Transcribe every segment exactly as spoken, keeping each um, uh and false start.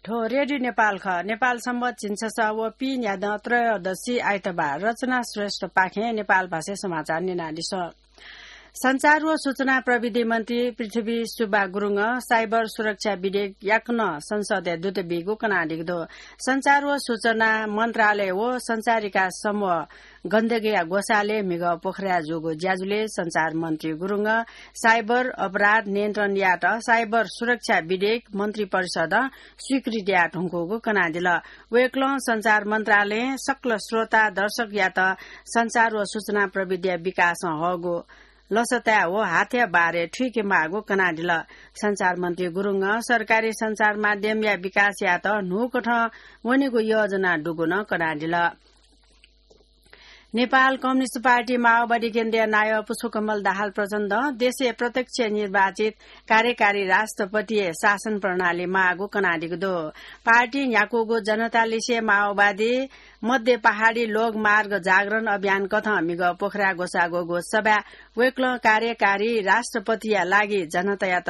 थ्व रेडियो नेपाल खः। नेपाल संवत झिंछसः व पीन्यादँ त्रयोदशी आइतबार। रचना श्रेष्ठपाखें नेपाल भाषाय् समाचार न्यनादिसँ। सञ्चार व सूचना प्रविधि मन्त्री पृथ्वी सुब्बा गुरुङं साइबर सुरक्षा विधेयक याकनं संसदय् दुत बीगु कनादीगु दु। सञ्चार व सूचना मन्त्रालय व सञ्चार विकास समूह गण्डकीया ग्वसालय् म्हिगः पोखराय् जूगु ज्याझ्वलय् सञ्चार मन्त्री गुरुङं साइबर अपराध नियन्त्रण यायेत साइबर सुरक्षा विधेयक मन्त्री परिषदं स्वीकृति याये धुंकूगु कनादिल। वय्कलं सञ्चार मन्त्रालयं सकल श्रोता दर्शकयात सञ्चार व सूचना प्रविधिया विकासं हःगु लसताय् व हाथया बारे थुइके माःगु कनादिल। सञ्चार मन्त्री गुरुङं सरकारी सञ्चार माध्यमया विकास यायेत न्हूकथं वनेगु योजना दुगु नं कनादिल। नेपाल कम्युनिस्ट पार्टी माओवादी केन्द्रीय नायः पुष्पकमल दाहाल प्रचण्डं देशय् प्रत्यक्ष निर्वाचित कार्यकारी राष्ट्रपतिया शासन प्रणाली माःगु कनादीगु दु। पार्टी न्ह्याकूगु जनता लिसे माओवादी मध्य पहाडी लोकमार्ग जागरण अभियान कथं म्हिगः पोखराय् ग्वसाः ग्वःगु सभाय् वय्कलं कार्यकारी राष्ट्रपतिया लागि जनतायात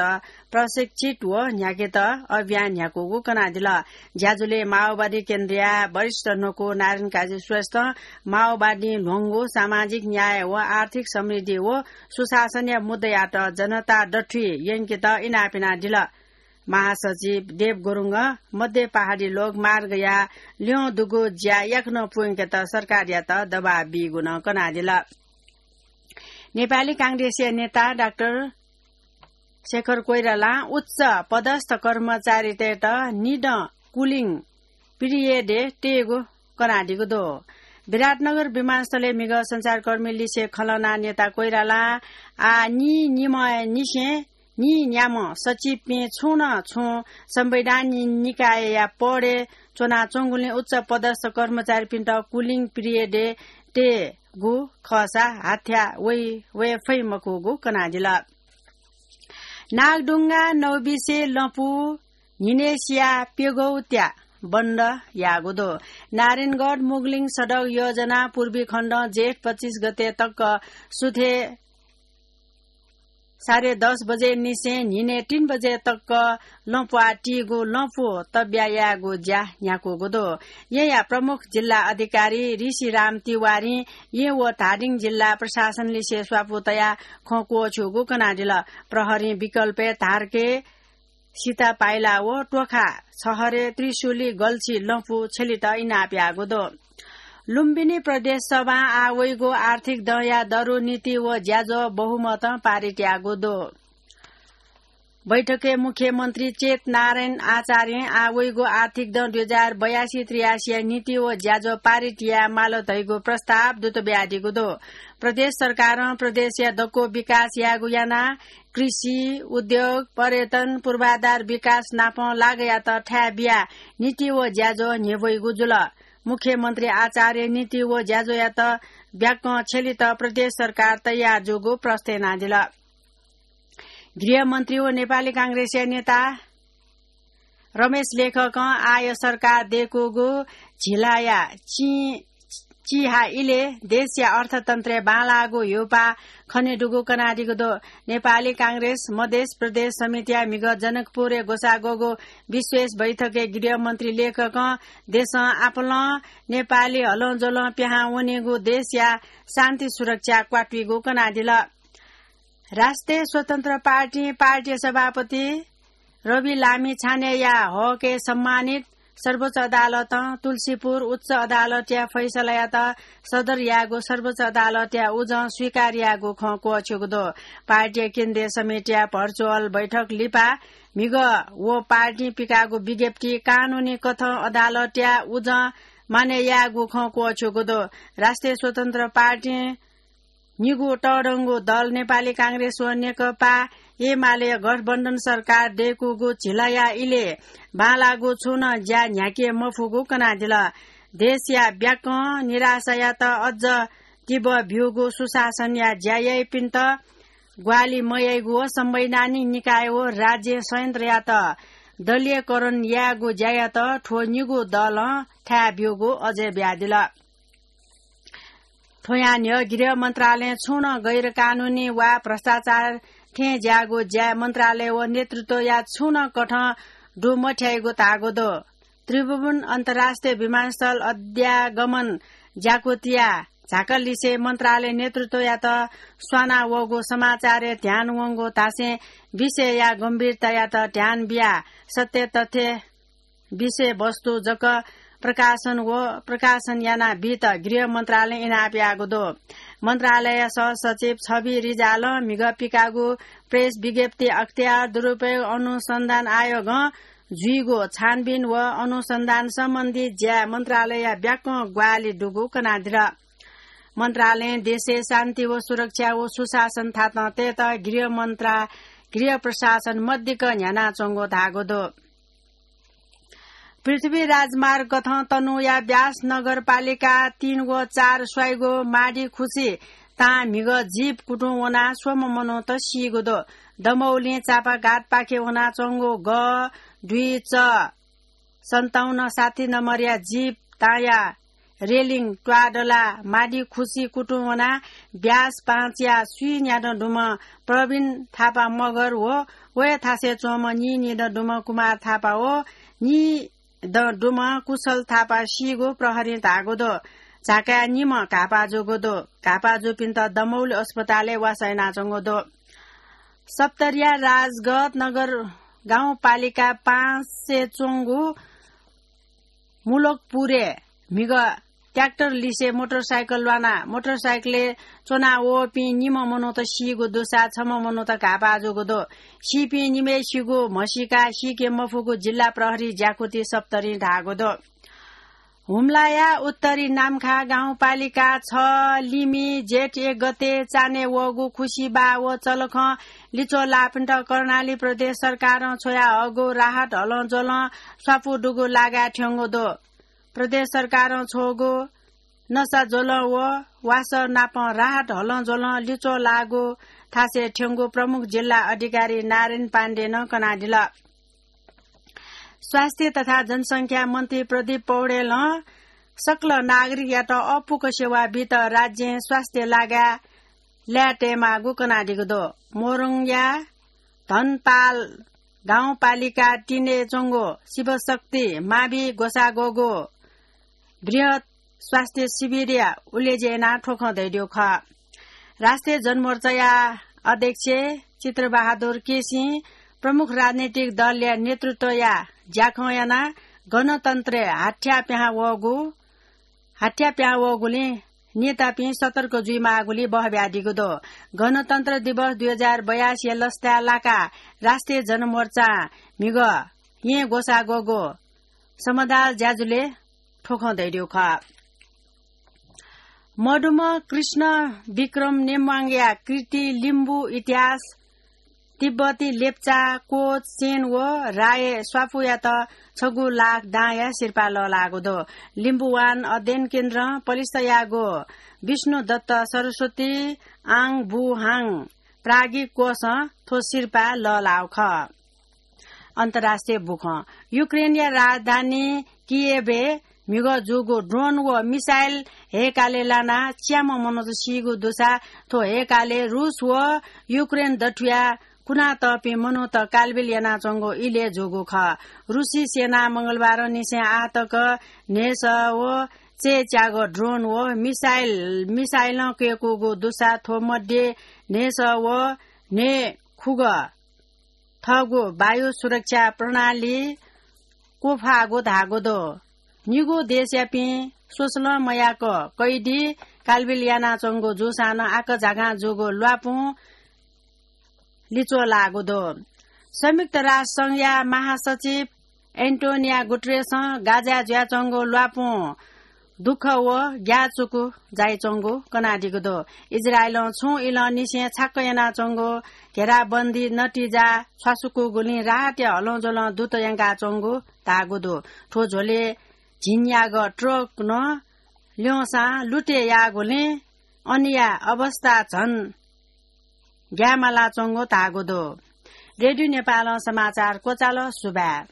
प्रशिक्षित व न्ह्याकेत अभियान न्ह्याकूगु कनादिल। ज्याझ्वलय् माओवादी केन्द्रीय वरिष्ठ न्वकू नारायण काजी श्रेष्ठं माओवादीं ल्ह्वंगु सामाजिक न्याय व आर्थिक समृद्धि व सुशासनया मुद्दायात जनता दथुइ यंकेत इनाप यानादिल। महासचिव देव गुरुङं मध्य पहाडी लोकमार्गया ल्यं दुगु ज्या याकनं पूवंकेत सरकारयात दबाब बीगु नं कनादिल। नेपाली कांग्रेसया नेता डाक्टर शेखर कोइरालां उच्च पदस्थ कर्मचारीतय्त निदँ cooling period-य् तयेगु कनादीगु दु। विराटनगर विमानस्थलय् म्हिगः सञ्चारकर्मी लिसे खँ ल्हानाः नेता कोइरालां आः नीनिम्हनिसें नीन्याम्ह सचिवपिं छुं नं छुं संवैधानिक निकायया पदय् च्वनाच्वंगुलिं उच्च पदस्थ कर्मचारीपिन्त cooling period-य् तयेगु खःसा हाथ्या वइ, वये फइ मखुगु कनादिल। नागढुङ्गा नौबिसे लँपु न्हिनय्सिया प्यगौत्या बन्द याःगु दु। नारायणगढ मुगलिङ सडक योजना पूर्वी खण्डं जेठ पच्चिस गते तक सुथे साढे दस बजे निसें न्हिनय् तीन बजे तक लँपुया तीगु लँपु तब्या यायेगु ज्या न्ह्याकूगु दु। येँया प्रमुख जिल्ला अधिकारी ऋषिराम तिवारीं येँ व धादिङ जिल्ला प्रशासन लिसे स्वापू तयाः खँ क्वःछ्यूगु कनादिल। प्रहरीं विकल्पय् धारके, सीतापाइला व टोखा छहरे त्रिशुली गल्छी लँपु छ्यलित इनाप याःगु दु। लुम्बिनी प्रदेश सभां आः वइगु आर्थिक दँया दरु नीति व ज्याझ्वः बहुमतं पारित याःगु दु। बैठकय् मुख्यमन्त्री चेत नारायण आचार्यं आः वइगु आर्थिक दँ दुई हजार बयासी त्रियासीया नीति व ज्याझ्वः पारित याये माल धइगु प्रस्ताव दुत बियादीगु दु। प्रदेश सरकारं प्रदेशया दक्व विकास यायेगु यानाः कृषि, उद्योग, पर्यटन, पूर्वाधार विकास नापं लागःयात थाय् बियाः नीति व ज्याझ्वः न्ह्यब्वइगु जुल। मुख्यमन्त्री आचार्यं नीति व ज्याझ्वःयात ब्याकं छ्यलित प्रदेश सरकार तयार जूगु प्रष्ट यानादिल। गृहमन्त्री व नेपाली कांग्रेसया नेता रमेश लेखकं आःया सरकार दय्कूगु झिलाया चि-, चिहा इलय् देशया अर्थतन्त्रय् बांलाःगु ह्यूपाः खनेदुगु कनादीगु दु। नेपाली कांग्रेस मधेस प्रदेश समितिया म्हिगः जनकपुरय् ग्वसाः ग्वःगु विशेष बैठकय् गृहमन्त्री लेखकं देशं आपालं नेपाली हलंज्वलं पिहां वनीगु देशया शान्ति सुरक्षा क्वातुइगु कनादिल। राष्ट्रिय स्वतन्त्र पार्टी, पार्टीया सभापति रवि लामिछानेया हकय् सम्मानित सर्वोच्च अदालतं तुलसीपुर उच्च अदालतया फैसलायात सदर याःगु सर्वोच्च अदालतया उजं स्वीकार याःगु खँ क्वःछ्यूगु दु। पार्टीया केन्द्रीय समितिया भर्चुअल बैठक लिपा म्हिगः व पार्टीं पिकाःगु विज्ञप्ति कानूनी कथं अदालतया उजं मानय् याःगु खँ क्वःछ्यूगु दु। राष्ट्रिय स्वतन्त्र पार्टीं निगू तःधंगु दल नेपाली कांग्रेस व नेकपा एमाले गठबन्धन सरकार दय्कूगु झिलाया इलय् बांलाःगु छुं नं ज्या न्ह्याके मफुगु कनादिल। देशया ब्याकं निराशायात अझ तीव्र ब्यूगु सुशासनया ज्या याइपिन्त ग्वाहालि मयाइगु व संवैधानिक निकाय व राज्य संयन्त्रयात दलीयकरण यायेगु ज्यायात थ्व निगू दलं थाय् ब्यूगु अजय बियादिल। थ्वयां न्ह्यः गृह मन्त्रालयं छुं नं गैर कानूनी वा भ्रष्टाचार थें ज्याःगु ज्या मन्त्रालय व नेतृत्वया छुं नं कथं दु मथ्याइगु धाःगु दु। त्रिभुवन अन्तर्राष्ट्रिय विमानस्थल अध्यागमन ज्याकुतिया झाकलिसे मन्त्रालय नेतृत्वयात स्वाना वःगु समाचारय् ध्यान वंगु धासें विषयया गम्भीरतायात ध्यान बिया सत्य तथ्य विषयवस्तु जक प्रकाशन व प्रकाशन याना बीत गृह मन्त्रालयं इनाप याःगु दु। मन्त्रालय सहसचिव छवि रिजालं म्हिगः पिकाःगु प्रेस विज्ञप्ति अख्तियार दुरुपयोग अनुसन्धान आयोगं जुइगु छानबिन व अनुसन्धान सम्बन्धी ज्या मन्त्रालयया ब्याकं ग्वाहालि दुगु कनादिल। मन्त्रालयं देशय् शान्ति व सुरक्षा व सुशासन थातं तयेत गृह मन्त्रा-, गृह प्रशासन मदिक्क न्ह्यानाच्वंगु धाःगु दु। पृथ्वी राजमार्ग गथं तनहुँया ब्यास नगरपालिका तीन व चार स्वाइगु माडी खुसी तां म्हिगः जीप कुतुं वनाः स्वम्ह मनूत सीगु दु। दमौलिं चापाघाटपाखे वनाच्वंगु ग दुई च सन्ताउन्न साठी नम्बरया जीप तांया रेलिङ त्वाःदलाः माडी खुसी कुतुं वनाः ब्यास पाँचया स्वीं न्यादँ दुम्ह प्रवीण थापा मगर व वया थासय् च्वंम्ह नीनिदँ दुम्ह कुमार थापा व नीदँ दुम्ह कुशल थापा सीगु प्रहरीं धाःगु दु। झाकाय् निम्ह घाःपाः जूगु दु। घाःपाः जूपिन्त दमौली अस्पतालय् वासः यानाच्वंगु दु। सप्तरीया राजगत नगर गाउँपालिका पाँचय् च्वंगु मुलकपुरय् म्हिगः ट्र्याक्टर लिसे मोटरसाइकल ल्वानाः मोटरसाइकलय् च्वना वःपिं निम्ह मनूत सीगु दुसा छम्ह मनूत घाःपाः जूगु दु। सीपिं निम्हय्सिगु म्हसीका सीके मफुगु जिल्ला प्रहरी ज्याकुथि सप्तरीं धाःगु दु। हुम्लाया उत्तरी नाम्खा गाउँपालिका छ लिमि जेठ एक गते चान्हय् वःगु खुसी बाः व चलखं लिच्वः लाःपिन्त कर्णाली प्रदेश सरकारं छ्वयाहःगु राहत हलंज्वलं स्वापू दुगु लागाय् थ्यंगु दु। प्रदेश सरकारं छ्वःगु नसा ज्वलं व वासः नाप राहत हलंज्वलं लिच्वः लाःगु थासय् थ्यंगु प्रमुख जिल्ला अधिकारी नारायण पाण्डेनं कनादिल। स्वास्थ्य तथा जनसंख्या मन्त्री प्रदीप पौडेलं सकल नागरिकयात अःपुक सेवा बीत राज्यं स्वास्थ्य लागाय् ल्याय् तयेमाःगु कनादीगु दु। मोरङया धनपाल गाउँपालिका तीनय् च्वंगु शिवशक्ति मावि ग्वसाः ग्वःगु बृहत् स्वास्थ्य शिविरया उलेज्यू यानाः थ्व खँ धयादीगु खः। राष्ट्रिय जनमोर्चाया अध्यक्ष चित्रबहादुर केसीं प्रमुख राजनैतिक दलया नेतृत्वया ज्याखँ यानाः गणतन्त्रय् हाथ्या पिहां वःगु, हाथ्या पिहां वःगुलिं नेतापिं सतर्क जुइमाःगुलिं बहब्यादीगु दु। गणतन्त्र दिवस दुई हजार बयासीया लसताय् लाकाः राष्ट्रिय जनमोर्चां म्हिगः येँ ग्वसाः ग्वःगु समदाल ज्याझ्वलय् थ्व खँ धयादीगु खः। मदुम्ह कृष्ण विक्रम नेम्वाङया कृति लिम्बू इतिहास तिब्बती लेप्चा, कोच, सेन व राय स्वापूयात छगू लाख दांया सिरपाः लःल्हाःगु दु। लिम्बुवान अध्ययन केन्द्रं पलिस्था याःगु विष्णुदत्त सरस्वती आङ बु हाङ प्राज्ञिक कोषं थ्व सिरपाः लःल्हाःगु खः। अन्तर्राष्ट्रिय बुखँ। युक्रेनया राजधानी कियेभय् म्हिगः जूगु ड्रोन व मिसाइल हय्कालय् लानाः च्याम्ह मनूत सीगु दुसा थ्व हय्कालय् रुस व युक्रेन दथुया कुनातःपिं मनूत कालबिल यानाच्वंगु इलय् जूगु खः। रुसी सेनां मंगलबारंनिसें आः तक न्हय्सः व चय्च्यागः ड्रोन व मिसाइल, मिसाइलं कय्कूगु दुसा थ्व मध्ये न्हय्सः व न्हय्खुगः थःगु वायु सुरक्षा प्रणाली क्वफाःगु धाःगु दु। निगू देशयापिं स्वसलं मयाक कैदी कालबिल यानाच्वंगु जूसां नं आकाझाकां जूगु ल्वापुं लिच्वः लाःगु दु। संयुक्त राष्ट्र संघया महासचिव एन्टोनिया गुटरेसं गाजाय् जुयाच्वंगु ल्वापुं दुःख व ग्याःचुकु जाइच्वंगु कनादीगु दु। इजरायलं छुं इलंनिसें छाक्क यानाच्वंगु घेराबन्दी नतिजा छ्वासुकूगुलिं राहतया हलंज्वलं दूत यंकाच्वंगु धाःगु दु। थ्व झ्वलय् झिंन्यागः ट्रक नं ल्यंसां लुटे याःगुलिं अनया अवस्था झन ग्याय्मालाच्वंगु धाःगु दु। रेडियो नेपालं समाचार क्वचाल। सुभाय्।